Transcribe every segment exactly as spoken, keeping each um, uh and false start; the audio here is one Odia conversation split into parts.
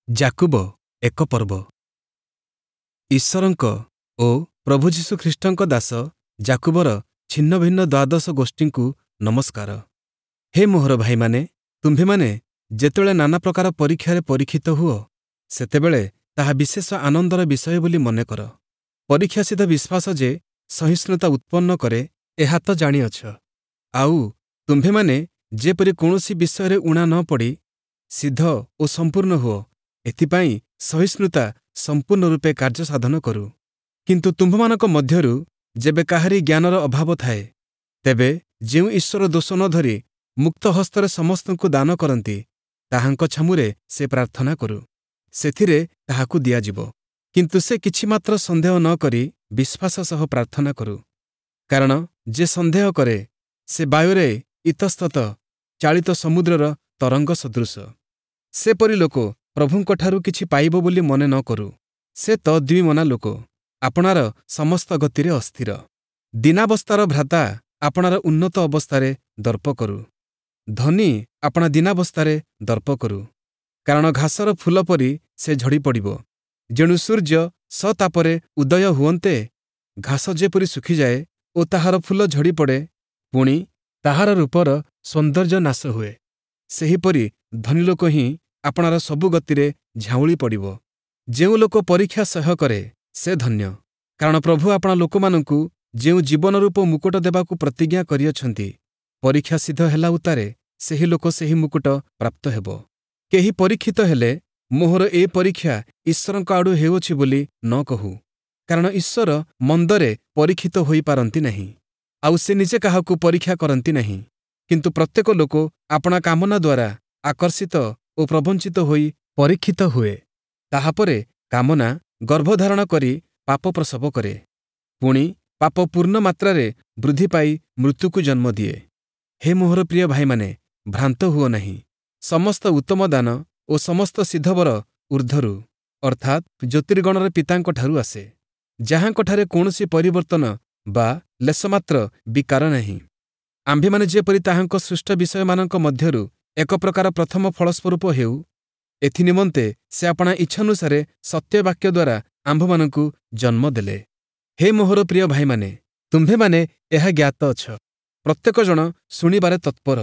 ଯାକୁବ ଏକ ପର୍ବ। ଈଶ୍ୱରଙ୍କ ଓ ପ୍ରଭୁ ଯୀଶୁଖ୍ରୀଷ୍ଟଙ୍କ ଦାସ ଯାକୁବର ଛିନ୍ନଭିନ୍ନ ଦ୍ୱାଦଶ ଗୋଷ୍ଠୀଙ୍କୁ ନମସ୍କାର। ହେ ମୋହର ଭାଇମାନେ, ତୁମ୍ଭେମାନେ ଯେତେବେଳେ ନାନା ପ୍ରକାର ପରୀକ୍ଷାରେ ପରୀକ୍ଷିତ ହୁଅ, ସେତେବେଳେ ତାହା ବିଶେଷ ଆନନ୍ଦର ବିଷୟ ବୋଲି ମନେ କର। ପରୀକ୍ଷାସିଦ୍ଧ ବିଶ୍ୱାସ ଯେ ସହିଷ୍ଣୁତା ଉତ୍ପନ୍ନ କରେ, ଏହା ତ ଜାଣିଅଛ। ଆଉ ତୁମ୍ଭେମାନେ ଯେପରି କୌଣସି ବିଷୟରେ ଊଣା ନ ପଡ଼ି ସିଦ୍ଧ ଓ ସମ୍ପୂର୍ଣ୍ଣ ହୁଅ, ଏଥିପାଇଁ ସହିଷ୍ଣୁତା ସମ୍ପୂର୍ଣ୍ଣ ରୂପେ କାର୍ଯ୍ୟ ସାଧନ କରୁ। କିନ୍ତୁ ତୁମ୍ଭମାନଙ୍କ ମଧ୍ୟରୁ ଯେବେ କାହାରି ଜ୍ଞାନର ଅଭାବ ଥାଏ, ତେବେ ଯେଉଁ ଈଶ୍ୱର ଦୋଷ ନ ଧରି ମୁକ୍ତ ହସ୍ତରେ ସମସ୍ତଙ୍କୁ ଦାନ କରନ୍ତି, ତାହାଙ୍କ ଛାମୁରେ ସେ ପ୍ରାର୍ଥନା କରୁ, ସେଥିରେ ତାହାକୁ ଦିଆଯିବ। କିନ୍ତୁ ସେ କିଛି ମାତ୍ର ସନ୍ଦେହ ନ କରି ବିଶ୍ୱାସ ସହ ପ୍ରାର୍ଥନା କରୁ। କାରଣ ଯେ ସନ୍ଦେହ କରେ, ସେ ବାୟୁରେ ଇତସ୍ତତ ଚାଳିତ ସମୁଦ୍ରର ତରଙ୍ଗ ସଦୃଶ। ସେପରି ଲୋକ ପ୍ରଭୁଙ୍କଠାରୁ କିଛି ପାଇବ ବୋଲି ମନେ ନ କରୁ। ସେ ତ ଦ୍ୱିମନା ଲୋକ, ଆପଣାର ସମସ୍ତ ଗତିରେ ଅସ୍ଥିର। ଦୀନାବସ୍ଥାର ଭ୍ରାତା ଆପଣାର ଉନ୍ନତ ଅବସ୍ଥାରେ ଦର୍ପ କରୁ, ଧନୀ ଆପଣା ଦୀନାବସ୍ଥାରେ ଦର୍ପ କରୁ। କାରଣ ଘାସର ଫୁଲ ପରି ସେ ଝଡ଼ିପଡ଼ିବ। ଯେଣୁ ସୂର୍ଯ୍ୟ ସତାପରେ ଉଦୟ ହୁଅନ୍ତେ ଘାସ ଯେପରି ଶୁଖିଯାଏ ଓ ତାହାର ଫୁଲ ଝଡ଼ିପଡ଼େ, ପୁଣି ତାହାର ରୂପର ସୌନ୍ଦର୍ଯ୍ୟ ନାଶ ହୁଏ, ସେହିପରି ଧନୀଲୋକ ହିଁ ଆପଣାର ସବୁ ଗତିରେ ଝାଉଁଳି ପଡ଼ିବ। ଯେଉଁ ଲୋକ ପରୀକ୍ଷା ସହ୍ୟ କରେ, ସେ ଧନ୍ୟ। କାରଣ ପ୍ରଭୁ ଆପଣା ଲୋକମାନଙ୍କୁ ଯେଉଁ ଜୀବନରୂପ ମୁକୁଟ ଦେବାକୁ ପ୍ରତିଜ୍ଞା କରିଅଛନ୍ତି, ପରୀକ୍ଷା ସିଦ୍ଧ ହେଲା ଉତ୍ତାରେ ସେହି ଲୋକ ସେହି ମୁକୁଟ ପ୍ରାପ୍ତ ହେବ। କେହି ପରୀକ୍ଷିତ ହେଲେ ମୋହର ଏ ପରୀକ୍ଷା ଈଶ୍ୱରଙ୍କ ଆଡ଼ୁ ହେଉଅଛି ବୋଲି ନ କହୁ। କାରଣ ଈଶ୍ୱର ମନ୍ଦରେ ପରୀକ୍ଷିତ ହୋଇପାରନ୍ତି ନାହିଁ, ଆଉ ସେ ନିଜେ କାହାକୁ ପରୀକ୍ଷା କରନ୍ତି ନାହିଁ। କିନ୍ତୁ ପ୍ରତ୍ୟେକ ଲୋକ ଆପଣା କାମନା ଦ୍ୱାରା ଆକର୍ଷିତ ଓ ପ୍ରବଞ୍ଚିତ ହୋଇ ପରୀକ୍ଷିତ ହୁଏ। ତାହାପରେ କାମନା ଗର୍ଭଧାରଣ କରି ପାପ ପ୍ରସବ କରେ, ପୁଣି ପାପ ପୂର୍ଣ୍ଣ ମାତ୍ରାରେ ବୃଦ୍ଧି ପାଇ ମୃତ୍ୟୁକୁ ଜନ୍ମ ଦିଏ। ହେ ମୋହର ପ୍ରିୟ ଭାଇମାନେ, ଭ୍ରାନ୍ତ ହୁଅ ନାହିଁ। ସମସ୍ତ ଉତ୍ତମ ଦାନ ଓ ସମସ୍ତ ସିଦ୍ଧବର ଊର୍ଦ୍ଧ୍ୱରୁ, ଅର୍ଥାତ୍ ଜ୍ୟୋତିର୍ଗଣର ପିତାଙ୍କଠାରୁ ଆସେ, ଯାହାଙ୍କଠାରେ କୌଣସି ପରିବର୍ତ୍ତନ ବା ଲେଶମାତ୍ର ବିକାର ନାହିଁ। ଆମ୍ଭେମାନେ ଯେପରି ତାହାଙ୍କ ସୃଷ୍ଟ ବିଷୟମାନଙ୍କ ମଧ୍ୟରୁ ଏକ ପ୍ରକାର ପ୍ରଥମ ଫଳସ୍ୱରୂପ ହେଉ, ଏଥିନିମନ୍ତେ ସେ ଆପଣା ଇଚ୍ଛାନୁସାରେ ସତ୍ୟବାକ୍ୟ ଦ୍ୱାରା ଆମ୍ଭମାନଙ୍କୁ ଜନ୍ମ ଦେଲେ। ହେ ମୋହର ପ୍ରିୟ ଭାଇମାନେ, ତୁମ୍ଭେମାନେ ଏହା ଜ୍ଞାତ ଅଛ। ପ୍ରତ୍ୟେକ ଜଣ ଶୁଣିବାରେ ତତ୍ପର,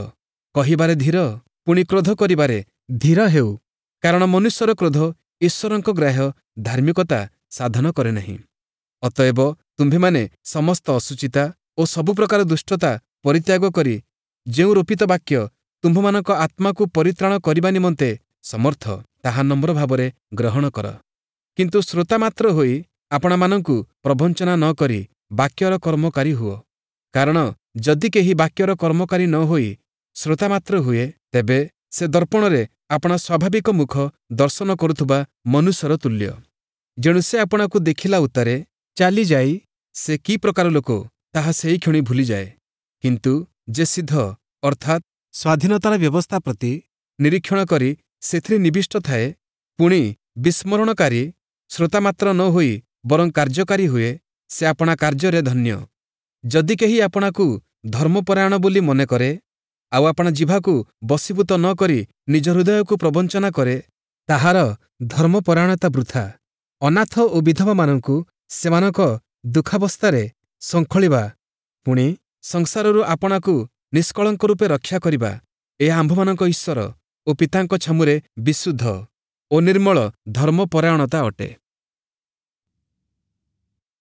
କହିବାରେ ଧୀର, ପୁଣି କ୍ରୋଧ କରିବାରେ ଧୀର ହେଉ। କାରଣ ମନୁଷ୍ୟର କ୍ରୋଧ ଈଶ୍ୱରଙ୍କ ଗ୍ରାହ୍ୟ ଧାର୍ମିକତା ସାଧନ କରେ ନାହିଁ। ଅତଏବ ତୁମ୍ଭେମାନେ ସମସ୍ତ ଅଶୁଚିତା ଓ ସବୁ ପ୍ରକାର ଦୁଷ୍ଟତା ପରିତ୍ୟାଗ କରି ଯେଉଁ ରୋପିତ ବାକ୍ୟ ତୁମ୍ଭମାନଙ୍କ ଆତ୍ମାକୁ ପରିତ୍ରାଣ କରିବା ନିମନ୍ତେ ସମର୍ଥ, ତାହା ନମ୍ର ଭାବରେ ଗ୍ରହଣ କର। କିନ୍ତୁ ଶ୍ରୋତା ମାତ୍ର ହୋଇ ଆପଣାମାନଙ୍କୁ ପ୍ରବଞ୍ଚନା ନ କରି ବାକ୍ୟର କର୍ମକାରୀ ହୁଅ। କାରଣ ଯଦି କେହି ବାକ୍ୟର କର୍ମକାରୀ ନ ହୋଇ ଶ୍ରୋତା ମାତ୍ର ହୁଏ, ତେବେ ସେ ଦର୍ପଣରେ ଆପଣା ସ୍ୱାଭାବିକ ମୁଖ ଦର୍ଶନ କରୁଥିବା ମନୁଷ୍ୟର ତୁଲ୍ୟ। ଯେଣୁ ସେ ଆପଣାକୁ ଦେଖିଲା ଉତ୍ତାରେ ଚାଲିଯାଇ ସେ କି ପ୍ରକାର ଲୋକ, ତାହା ସେହିକ୍ଷଣି ଭୁଲିଯାଏ। କିନ୍ତୁ ଯେ ସିଦ୍ଧ, ଅର୍ଥାତ୍ ସ୍ୱାଧୀନତାର ବ୍ୟବସ୍ଥା ପ୍ରତି ନିରୀକ୍ଷଣ କରି ସେଥିରେ ନିବିଷ୍ଟ ଥାଏ, ପୁଣି ବିସ୍ମରଣକାରୀ ଶ୍ରୋତା ମାତ୍ର ନ ହୋଇ ବରଂ କାର୍ଯ୍ୟକାରୀ ହୁଏ, ସେ ଆପଣା କାର୍ଯ୍ୟରେ ଧନ୍ୟ। ଯଦି କେହି ଆପଣାକୁ ଧର୍ମପରାୟଣ ବୋଲି ମନେ କରେ, ଆଉ ଆପଣା ଜିଭାକୁ ବଶୀଭୂତ ନ କରି ନିଜ ହୃଦୟକୁ ପ୍ରବଞ୍ଚନା କରେ, ତାହାର ଧର୍ମପରାୟଣତା ବୃଥା। ଅନାଥ ଓ ବିଧବାମାନଙ୍କୁ ସେମାନଙ୍କ ଦୁଃଖାବସ୍ଥାରେ ଶୃଙ୍ଖଳିବା, ପୁଣି ସଂସାରରୁ ଆପଣାକୁ ନିଷ୍କଳଙ୍କ ରୂପେ ରକ୍ଷା କରିବା, ଏହା ଆମ୍ଭମାନଙ୍କ ଈଶ୍ୱର ଓ ପିତାଙ୍କ ଛାମୁରେ ବିଶୁଦ୍ଧ ଓ ନିର୍ମଳ ଧର୍ମପରାୟଣତା ଅଟେ।